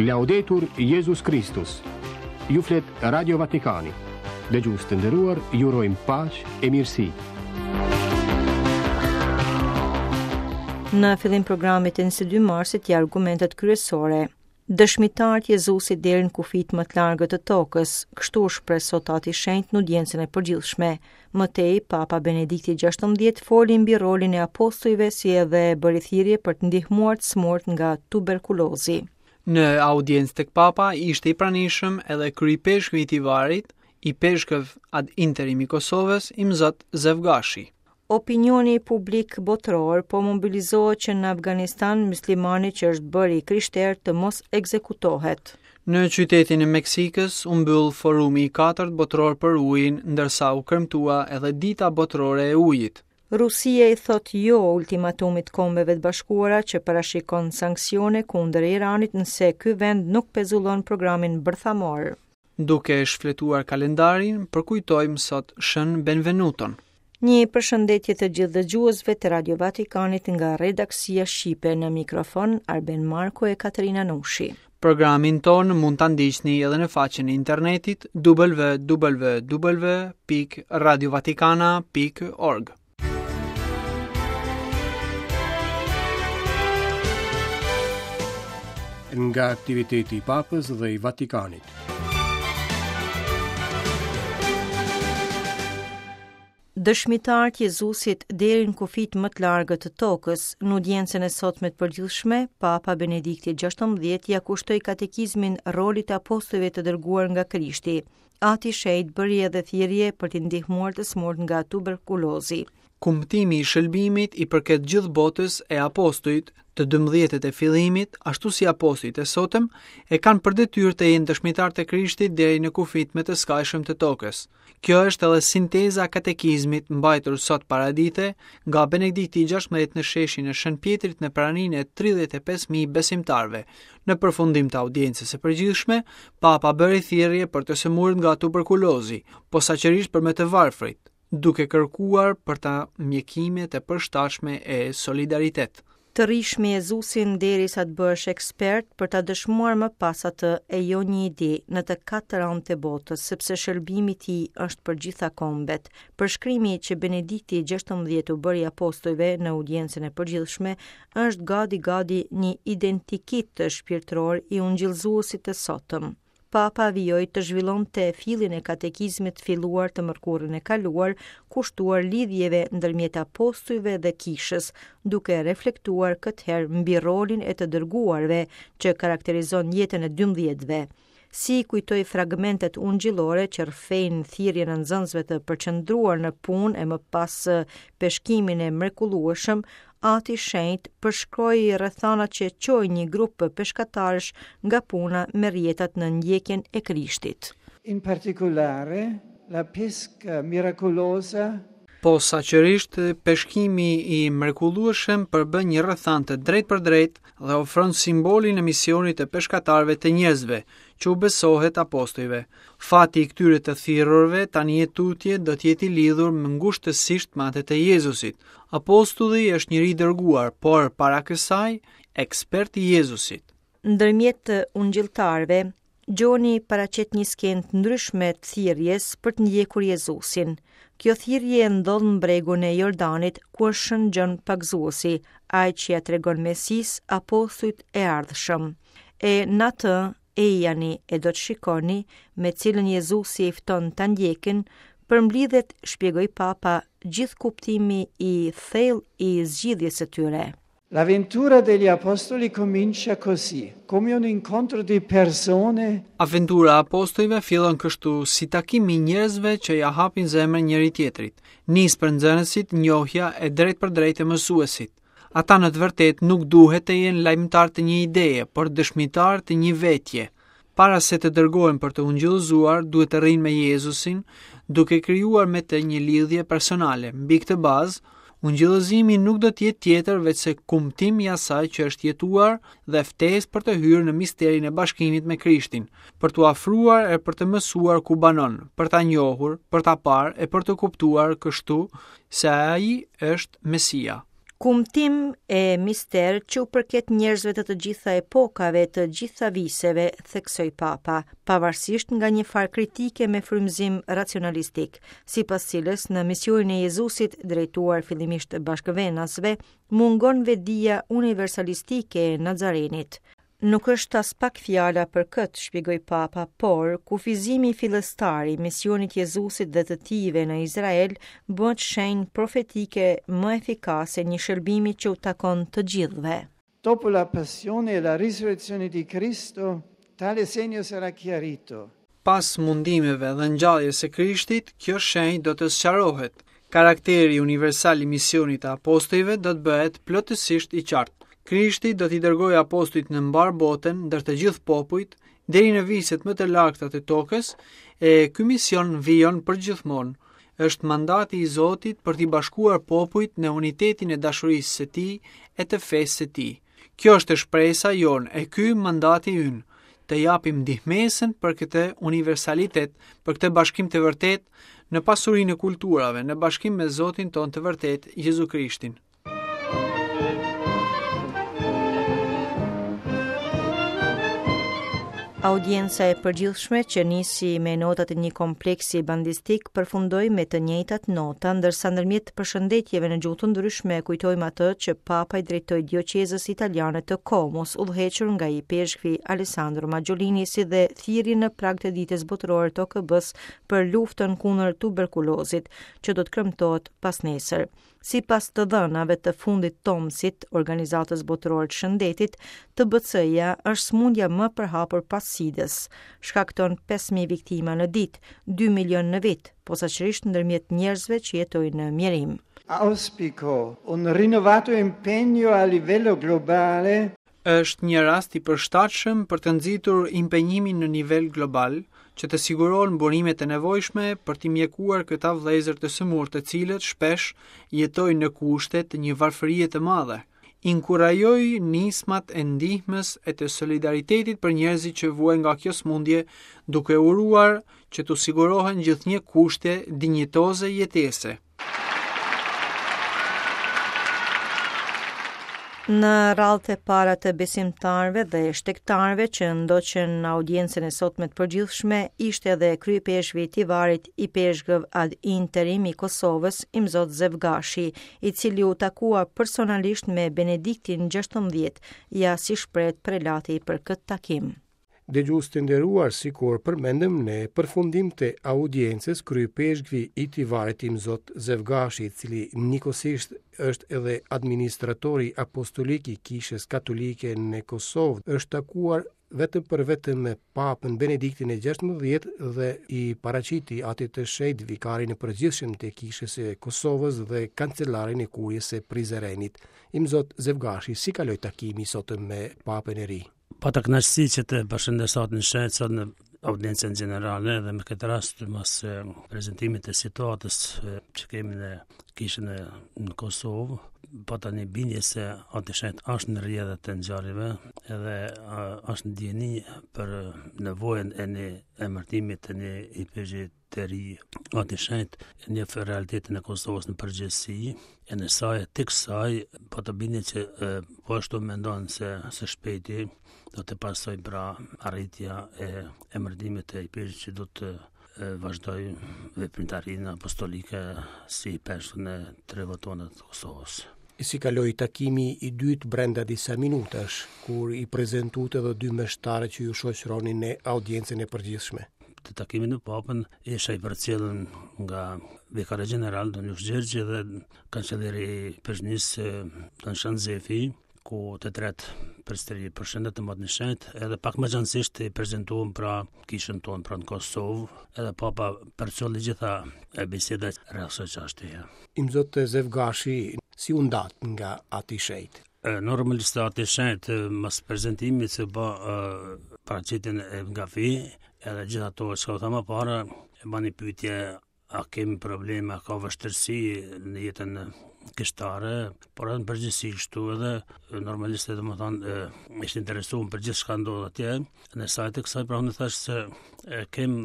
Laudetur Jezus Kristus. Ju flet Radio Vatikani. Dëgjues të nderuar, ju urojmë paqe e mirësi. Në fillim programit të 22 marsit ja argumentet kryesore. Dëshmitarë të Jezusit deri në kufijtë më të largët të tokës, kështu u shpreh sot Ati i Shenjtë në audiencën e përgjithshme. Më tej, Papa Benedikti XVI foli mbi rolin e apostujve si edhe bëri thirrje për të ndihmuar të sëmurët nga tuberkulozi. Në audiencë tek Papa ishte i pranishëm edhe kryeipeshkvi i Tivarit, ipeshkëv ad interim i Kosovës, Imzot Zef Gashi. Opinioni publik botëror po mobilizohet që në Afganistan myslimani që është bërë i krishterë të mos ekzekutohet. Në qytetin e Meksikës u mbyll forumi i katërt botëror për ujin, ndërsa u kremtua edhe Dita Botërore e Ujit. Rusia i thotë jo ultimatumit Kombeve të Bashkuara që parashikon sanksione kundër Iranit nëse ky vend nuk pezullon programin bërthamor. Duke shfletuar kalendarin, përkujtojmë sot Shën Benvenuton. Një përshëndetje të gjithë dëgjuesve të Radio Vatikanit nga redaksia shqipe në mikrofon Arben Marko e Katerina Nushi. Programin tonë mund ta ndiqni edhe në faqen e internetit www.radiovatikana.org. Nga aktiviteti i Papës dhe i Vatikanit. Dëshmitarë të Jezusit deri në kufijtë më të largët të tokës, në audiencën e sotme të përgjithshme, Papa Benedikti XVI ia kushtoi katekizmin rolit të apostujve të dërguar nga Krishti. Ati i Shenjtë bëri edhe thirrje për t'i ndihmuar të sëmurët nga tuberkulozi. Kumtimi i shëlbimit i përket gjithë botës e apostujt, të dymbëdhjetët e fillimit, ashtu si apostujt e sotëm, e kanë për detyrë të jenë dëshmitarë të Krishtit deri në kufijtë më të skajshëm të tokës. Kjo është edhe sinteza e katekizmit mbajtur sot paradite nga Benedikti i 16 në sheshin e Shën Pjetrit në praninë e 35.000 besimtarëve. Në përfundim të audiencës së përgjithshme, Papa bëri thirrje për të sëmurët nga tuberkulozi, posaçërisht për më të varfrit, duke kërkuar për ta mjekime të përshtatshme e solidaritet. Të rrish me Jezusin derisa të bëhesh ekspert për ta dëshmuar më pas atë e jo një ide në të katër anët e botës, sepse shëlbimi i tij është për gjitha kombet. Përshkrimi që Benedikti XVI u bëri apostujve në audiencën e përgjithshme është gati gati një identikit shpirtëror i ungjillëzuesit të sotëm. Papa vijoi të zhvillonte fillin e katekizmit filluar të mërkurën e kaluar, kushtuar lidhjeve ndërmjet apostujve dhe kishës, duke reflektuar këtë herë mbi rolin e të dërguarve që karakterizon jetën e dymbëdhjetëve. Si kujtoi fragmentet ungjillore që rrëfejnë thirrjen e nxënësve të përqendruar në punë e më pas peshkimin e mrekullueshëm, Ati i Shenjtë përshkroi rrethanat që çoi një grup peshkatarësh nga puna me rrjetat në ndjekjen e Krishtit. In particolare, la pesca miracolosa Posaçërisht, peshkimi i mrekullueshëm përbën një rrethanë të drejtpërdrejtë dhe ofron simbolin e misionit të peshkatarëve të njerëzve, që u besohet apostujve. Fati i këtyre të thirrurve tani e tutje do të jetë i lidhur më ngushtësisht me atë të Jezusit. Apostulli është njeri i dërguar, por para kësaj, ekspert i Jezusit. Ndërmjet ungjilltarëve, Gjoni paraqet një skenë të ndryshme të thirrjes për të ndjekur Jezusin. Kjo thirrje ndodh në bregun e Jordanit, ku është Shën Gjon Pagëzuesi, ai që ia tregon Mesisë apostujt e ardhshëm. E në atë Ejani e do të shikoni, me cilën Jezusi i fton ta ndjekin, përmblidhet, shpjegoi Papa, gjithë kuptimi i thellë i zgjidhjes së tyre. L'avventura degli apostoli comincia così, come un incontro di persone. Aventura e apostujve fillon kështu si takim i njerëzve që ia hapin zemrën njëri-tjetrit. Nis për nxënësit njohja e drejtpërdrejtë e mësuesit. Ata në të vërtetë nuk duhet të jenë lajmëtarë të një ideje, por dëshmitarë të një vetje. Para se të dërgohen për të ungjillëzuar, duhet të rrinë me Jezusin, duke krijuar me të një lidhje personale. Mbi këtë bazë, ungjillëzimi nuk do të jetë tjetër veçse kumtim i asaj që është jetuar dhe ftesë për të hyrë në misterin e bashkimit me Krishtin, për t'u afruar e për të mësuar ku banon, për ta njohur, për ta parë e për të kuptuar kështu se ai është Mesia. Kumtim e mister që u përket njerëzve të të gjitha epokave, të gjitha viseve, theksoi Papa, pavarësisht nga një farë kritike me frymëzim racionalistik, sipas cilës në misionin e Jezusit drejtuar fillimisht bashkëvenasve, mungon vetëdija universalistike e Nazarenit. Nuk është aspak fjala për këtë, shpjegoi Papa, por kufizimi fillestar i misionit Jezusit dhe të tijve në Izrael bëhet shenjë profetike më efikase e një shërbimi që u takon të gjithëve. Dopo la passione e la risurrezione di Cristo, tale segno sarà chiarito. Pas mundimeve dhe ngjalljes së Krishtit, kjo shenjë do të sqarohet. Karakteri universal i misionit të apostujve do të bëhet plotësisht i qartë. Krishti do t'i dërgojë apostujt në mbarë botën, ndër të gjithë popujt, deri në viset më të largëta të tokës, e ky mision vijon përgjithmonë. Është mandati i Zotit për t'i bashkuar popujt në unitetin e dashurisë së tij e të fesë së tij. Kjo është shpresa jonë e ky mandati ynë, të japim ndihmesën për këtë universalitet, për këtë bashkim të vërtetë në pasurinë e kulturave, në bashkim me Zotin tonë të vërtetë, Jezu Krishtin. Audienca e përgjithshme që nisi me notat e një kompleksi bandistik përfundoi me të njëjtat nota, ndërsa ndërmjet përshëndetjeve në gjuhë të ndryshme kujtojmë atë që Papa i drejtoi dioqezës italiane të Komos, udhëhequr nga ipeshkvi Alessandro Maggiolini, si dhe thirrjen në prag të ditës botërore të OKB-së për luftën kundër tuberkulozit, që do të kremtohet pasnesër. Sipas të dhënave të fundit të OMS-it, Organizatës Botërore të Shëndetit, TBC-ja është sëmundja më e përhapur pas SIDA-s. Shkakton 5.000 viktima në ditë, 2 milion në vit, posaçërisht ndërmjet njerëzve që jetojnë në mjerim. Auspico un rinnovato impegno a livello globale Është një rast i përshtatshëm për të nxitur impenjimin në nivel global, që të sigurohen burimet e nevojshme për t'i mjekuar këta vëllezër të sëmurë të cilët shpesh jetojnë në kushte të një varfërie të madhe. Inkurajoj nismat e ndihmës e të solidaritetit për njerëzit që vuajnë nga kjo sëmundje, duke uruar që t'u sigurohen gjithnjë kushte dinjitoze jetese. Në radhët e para të besimtarëve dhe shtegtarëve që ndoqën audiencën e sotme të përgjithshme ishte edhe kryeipeshkvi i Tivarit, ipeshkëv ad interim i Kosovës, Imzot Zef Gashi, i cili u takua personalisht me Benediktin 16, ja si shprehet prelati për këtë takim. Dëgjues të nderuar, sikur përmendëm në përfundim të audiencës, kryeipeshkvi i Tivarit Imzot Zef Gashi, i cili njëkohësisht është edhe administratori apostolik i Kishës Katolike në Kosovë, është takuar vetëm për vetëm me Papën Benediktin e 16 dhe i paraqiti Atit të Shenjtë vikarin e përgjithshëm të Kishës së Kosovës dhe kancelarin e Kuries së Prizrenit. Imzot Zef Gashi, si kaloi takimi i sotëm me Papën e ri? Pata kënaqësi që të përshëndes Atin e Shenjtë sot në audiencën gjenerale dhe me këtë rast mas prezantimit të situatës që kemi në kishën e në Kosovë, pata një bindje se Ati i Shenjtë është në rrjedhët e ngjarjeve edhe është në dijeni për nevojën e një emërtimit të një ipeshkvi të ri. Ati i Shenjtë e njeh realitetin e Kosovës në përgjithësi, e në saje të kësaj, pata bindje që e, po ashtu mendon se së shpejti do të pasojë pra arritja e emërtimit të ipeshkvit që do të vazhdojë veprimtarinë apostolike si ipeshkv në trevat tona të Kosovës. Si kaloi takimi i dytë brenda disa minutash, kur i prezentuat edhe dy meshtarët që ju shoqëronin në audiencën e përgjithshme? Te takimi me papën, isha i përcjellë nga vikari gjeneral, Don Lush Gjergji dhe kanceleri i Ipeshkvnisë, Don Shan Zefi, ku të tretë përsëri përshëndetëm Atin e Shenjtë, edhe pak më gjanësisht i prezentuam pra kishën tonë pra në Kosovë, edhe papa përcolli gjitha e bisedat rreth kësaj çështjeje. Imzot Zef Gashi, si u ndatë nga Ati i Shenjtë? Normalisht Ati i Shenjtë mas prezantimit që ba paraqitjen e nga fi, edhe gjithë ato që u tha më para, e bani pyetje a kemi probleme, a ka vështirësi në jetën. kishtare, por edhe në përgjithësi kështu edhe normalisht domethënë ishte interesuar për gjithçka ndodh atje. Në sajë të kësaj pra unë thash se e, kem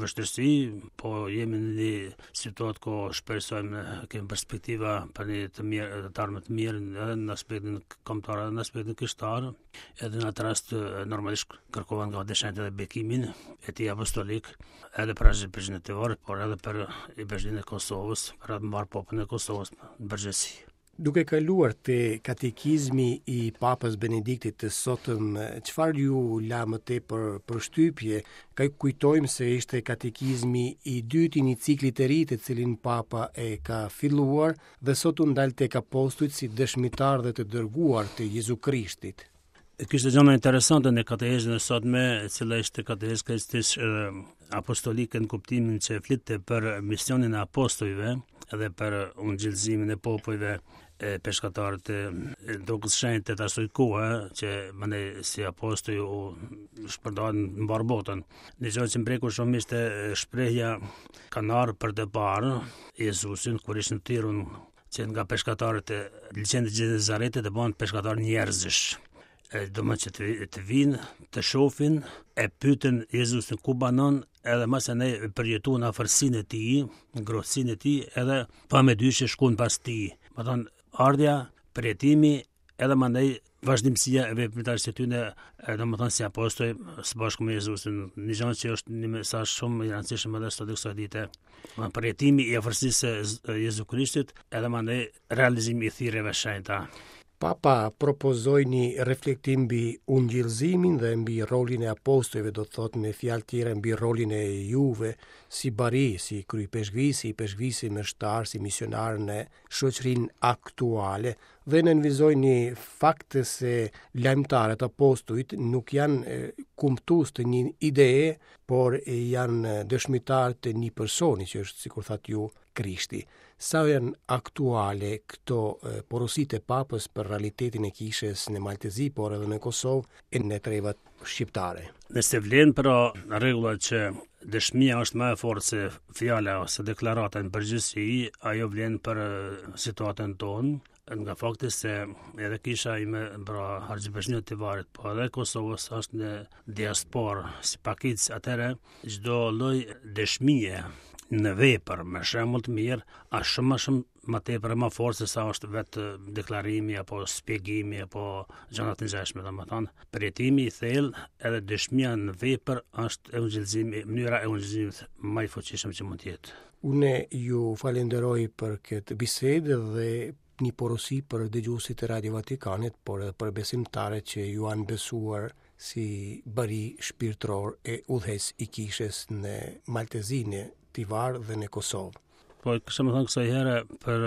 vështirësi, po jemi në një situatë ku shpresojmë kemi perspektiva për një të mirë, të ardhme të mirë edhe në aspektin kombëtar edhe në aspektin kishtar. Edhe në atë rast normalisht kërkova nga Atdhe edhe bekimin e tij apostolik, edhe për Argjipeshkvinë e Tivarit, por edhe për Ipeshkvinë e Kosovës, për atë mbarë popullin e Kosovës në përgjithësi. Duke kaluar te katekizmi i Papës Benediktit të sotëm, çfarë ju la më tepër përshtypje? Ka kujtojmë se ishte katekizmi i dytë i një cikli të ri të cilin Papa e ka filluar dhe sot u ndal tek apostujt si dëshmitarë dhe të dërguar të Jezu Krishtit. Kishte gjëra interesante në katehezën e sotme, e cila ishte katehezë krejtësisht apostolike në kuptimin që flitte për misionin e apostujve dhe për ungjillëzimin e popujve e peshkatarët e tokës shenjtë të asaj kohe që mandej si apostuj u shpërndanë në mbarë botën. Një gjë që më preku shumë ishte shprehja kanë ardhur për të parë Jezusin kur ishin thirrun që nga peshkatarët e liqenit të Gjenezaretit të bëhen peshkatarë njerëzish. E, domethënë që të, të vinë, të shofin, e pyetën Jezusin ku banon, edhe masanej përjetuan afërsinë e tij, ngrohtësinë e tij, edhe pa mëdyshje shkuan pas tij. Domethënë, ardhja, përjetimi, edhe mandej vazhdimësia e veprimtarisë së tyre, domethënë si apostuj së bashku me Jezusin, një gjë që është një mesazh shumë i rëndësishëm edhe sot kësaj dite. Domethënë përjetimi i afërsisë së Jezu Krishtit, edhe mandej realizimi i thirrjeve shenjta. Papa propozoi një reflektim mbi ungjillëzimin dhe mbi rolin e apostujve, do të thotë me fjalë tjera mbi rolin e juve si bari, si kryeipeshkvi, si ipeshkvi, si meshtar, si misionar në shoqërinë aktuale dhe nënvizoi një fakt se lajmëtarët apostujt nuk janë kumtues të një ideje, por janë dëshmitarë të një personi që është, sikur thatë ju, Krishti. Sa janë aktuale këto porositë e Papës për realitetin e kishës në Mal të Zi, por edhe në Kosovë e në trevat shqiptare? Nëse vlen pra rregulla që dëshmia është më e fortë se fjala ose deklarata në përgjithësi, ajo vlen për situatën tonë, nga fakti se edhe kisha ime, pra Argjipeshkvia e Tivarit, po edhe Kosovës është në diasporë si pakicë, atëherë çdo lloj dëshmie në vepër me shembull të mirë, është shumë më shumë më tepër e më fort se sa është vetë deklarimi apo shpjegimi apo gjëra të ngjashme, domethënë, përjetimi i thellë edhe dëshmia në vepër është evangelizimi, mënyra e evangelizimit më i fuqishëm që mund të jetë. Unë ju falenderoj për këtë bisedë dhe një porosi për dëgjuesit e Radio Vatikanit, por edhe për besimtarët që ju janë besuar si bari shpirtëror e udhëheqës i kishës në Mal të Zi, në Tivar dhe në Kosovë. Po, kisha me thënë kësaj here për,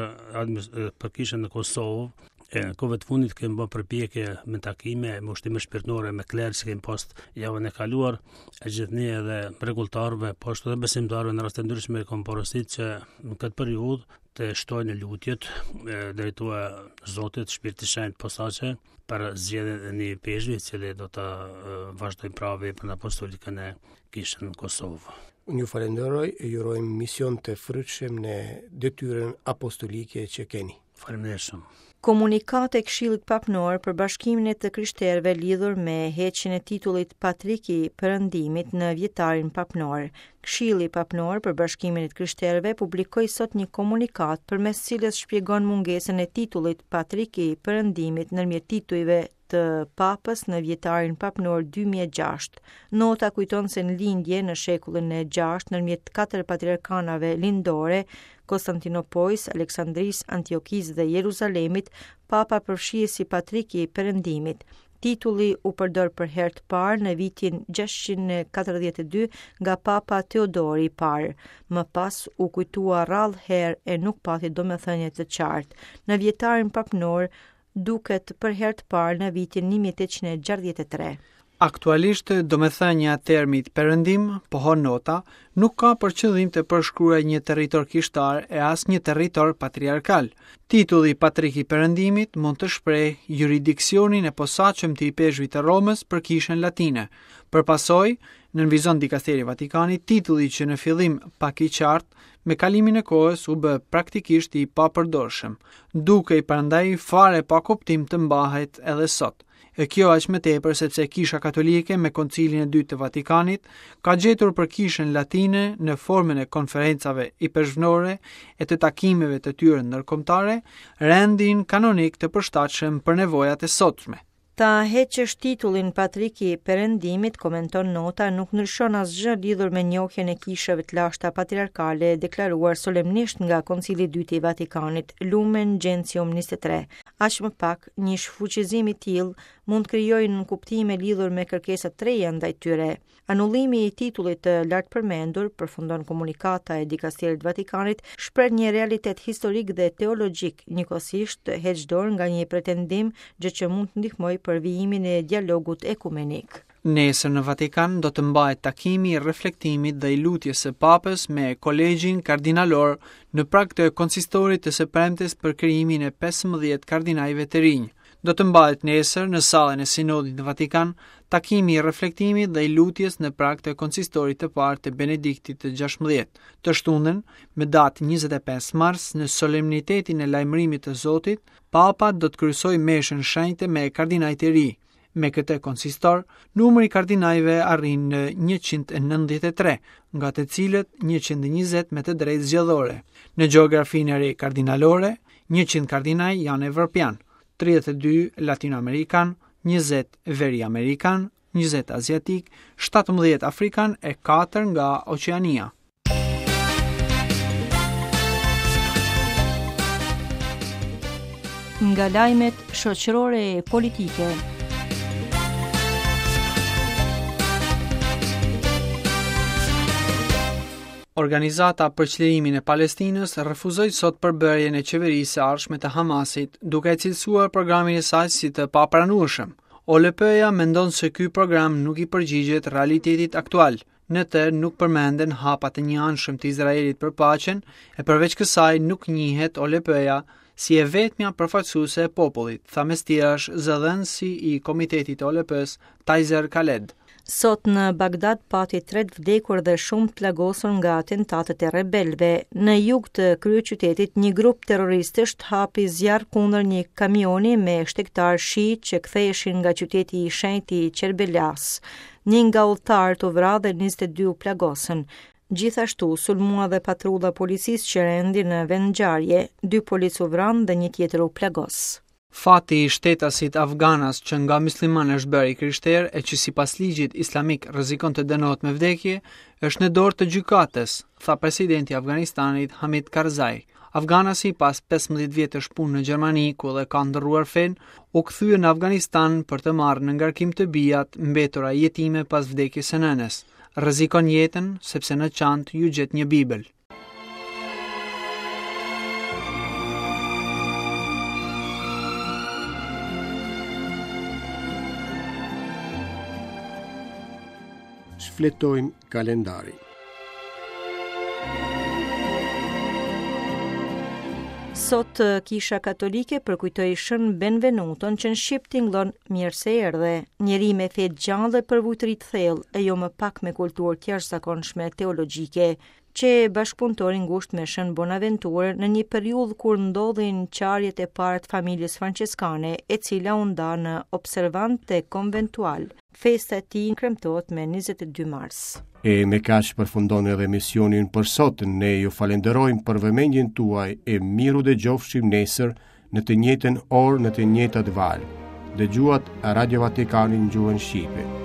për kishën në Kosovë, e në kohëve të fundit kemi bërë përpjekje me takime, me ushtrime shpirtërore, me klerë që kemi pas javën e kaluar, e gjithnjë edhe rregulltarëve, po ashtu edhe besimtarëve në raste të ndryshme kam porosit që në këtë periudhë të shtojnë lutjet drejtuar Zotit, Shpirtit Shenjt posaçe për zgjedhjen e një ipeshkvi, i cili do të vazhdojë pra veprën apostolike në kishën në Kosovë. Unë ju falenderoj e ju urojmë mision të frytshëm në detyrën apostolike që keni. Faleminderit shumë. Komunikatë e Këshillit Papnor për Bashkimin e të Krishterëve lidhur me heqjen e titullit Patrik i Perëndimit në vjetarin papnor. Këshilli Papnor për Bashkimin e të Krishterëve publikoi sot një komunikatë përmes cilës shpjegon mungesën e titullit Patrik i Perëndimit ndërmjet titujve të Papës në vjetarin papnor 2006. Nota kujton se në lindje në shekullin e 6 ndërmjet katër patriarkanave lindore, Konstantinopojës, Aleksandrisë, Antiokisë dhe Jeruzalemit, Papa përfshihej si Patrik i Perëndimit. Titulli u përdor për herë të parë në vitin 642 nga Papa Teodori i Parë. Më pas u kujtua rrallë herë e nuk pati domethënie të qartë. Në vjetarin papnor duket për herë të parë në vitin 1863. Aktualisht, domethënia e termit Perëndim, pohon nota, nuk ka për qëllim të përshkruajë një territor kishtar e as një territor patriarkal. Titulli Patrik i Perëndimit mund të shprehë juridiksionin e posaçëm të ipeshkvit të Romës për Kishën Latine. Për pasojë, nënvizon dikasteri i Vatikanit, titulli që në fillim pak i qartë. me kalimin e kohës u bë praktikisht i papërdorshëm, dukej prandaj fare pa kuptim të mbahet edhe sot. E kjo aq më tepër sepse Kisha Katolike me Koncilin e Dytë të Vatikanit ka gjetur për Kishën Latine në formën e konferencave ipeshkvnore e të takimeve të tyre ndërkombëtare rendin kanonik të përshtatshëm për nevojat e sotme. Ta heqësh titullin Patrik i Perëndimit, komenton nota, nuk ndryshon asgjë lidhur me njohjen e kishave të lashta patriarkale deklaruar solemnisht nga Koncili i Dytë i Vatikanit, Lumen Gentium 23. Aq më pak, një shfuqizim i tillë mund të krijojë nënkuptime lidhur me kërkesa të reja ndaj tyre. Anullimi i titullit të lartpërmendur, përfundon komunikata e dikasterit të Vatikanit, shpreh një realitet historik dhe teologjik, njëkohësisht heq dorë nga një pretendim, gjë që mund të ndihmojë për vijimin e dialogut ekumenik. Nesër në Vatikan do të mbahet takimi i reflektimit dhe i lutjes së Papës me Kolegjin Kardinalor në prag të konsistorit të së premtes për krijimin e 15 kardinajve të rinj. Do të mbahet nesër në sallën e Sinodit në Vatikan takimi i reflektimit dhe i lutjes në prag të konsistorit të parë të Benediktit të 16. Të shtunën, me datë 25 mars, në solemnitetin e lajmërimit të Zotit, Papa do të kryesojë meshën shenjte me kardinajt e ri. Me këtë konsistor, numri i kardinajve arrin në 193, nga të cilët 120 me të drejtë zgjedhore. Në gjeografinë e re kardinalore, 100 kardinaj janë evropianë, 32 latinoamerikanë, 20 veriamerikanë, 20 aziatikë, 17 afrikanë e 4 nga Oqeania. Nga lajmet shoqërore e politike. Organizata për Çlirimin e Palestinës refuzoi sot përbërjen e qeverisë së ardhshme të Hamasit, duke e cilësuar programin e saj si të papranueshëm. OLP-ja mendon se ky program nuk i përgjigjet realitetit aktual. Në të nuk përmenden hapat e njëanshëm të Izraelit për paqen, e përveç kësaj nuk njihet OLP-ja si e vetmja përfaqësuese e popullit, tha mes tjerash zëdhënësi i Komitetit të OLP-së, Tajzer Khaled. Sot në Bagdad pati tre të vdekur dhe shumë të plagosur nga atentatet e rebelëve. Në jug të kryeqytetit, një grup terroristësh hapi zjarr kundër një kamioni me shtegtarë shiitë që ktheheshin nga qyteti i shenjtë i Qerbelas. Një nga udhëtarët u vra dhe 22 u plagosën. Gjithashtu, sulmua dhe patrulla e policisë që rendi në vendngjarje, dy policë u vranë dhe një tjetër u plagos. Fati i shtetasit afganas që nga mysliman është bërë i krishterë e që sipas ligjit islamik rrezikon të dënohet me vdekje, është në dorë të gjykatës, tha presidenti i Afganistanit Hamid Karzai. Afganasi pas 15 vjetësh punë në Gjermani, ku dhe ka ndërruar fenë, u kthye në Afganistan për të marrë në ngarkim të bijat mbetura jetime pas vdekjes së nënës. Rrezikon jetën sepse në çantë iu gjet një Bibël. Shfletojmë kalendarin. Sot eh, Kisha Katolike përkujtoi Shën Benvenuton që në shqip tingëllon mirë se erdhe, njeri me fe të gjallë dhe përvujtëri të thellë e jo më pak me kulturë të jashtëzakonshme teologjike, qe bashkëpunëtor i ngushtë me Shën Bonaventurën në një periudhë kur ndodhin çarjet e para të familjes françeskane, e cila u nda në observantë e konventualë. Festa e tij kremtohet me 22 mars. E me kaq përfundon edhe emisioni ynë për sot. Ne ju falenderojmë për vëmendjen tuaj e mirudëgjofshim nesër në të njëjtën orë në të njëjtat valë. Dëgjuat Radio Vatikanin në gjuhën shqipe.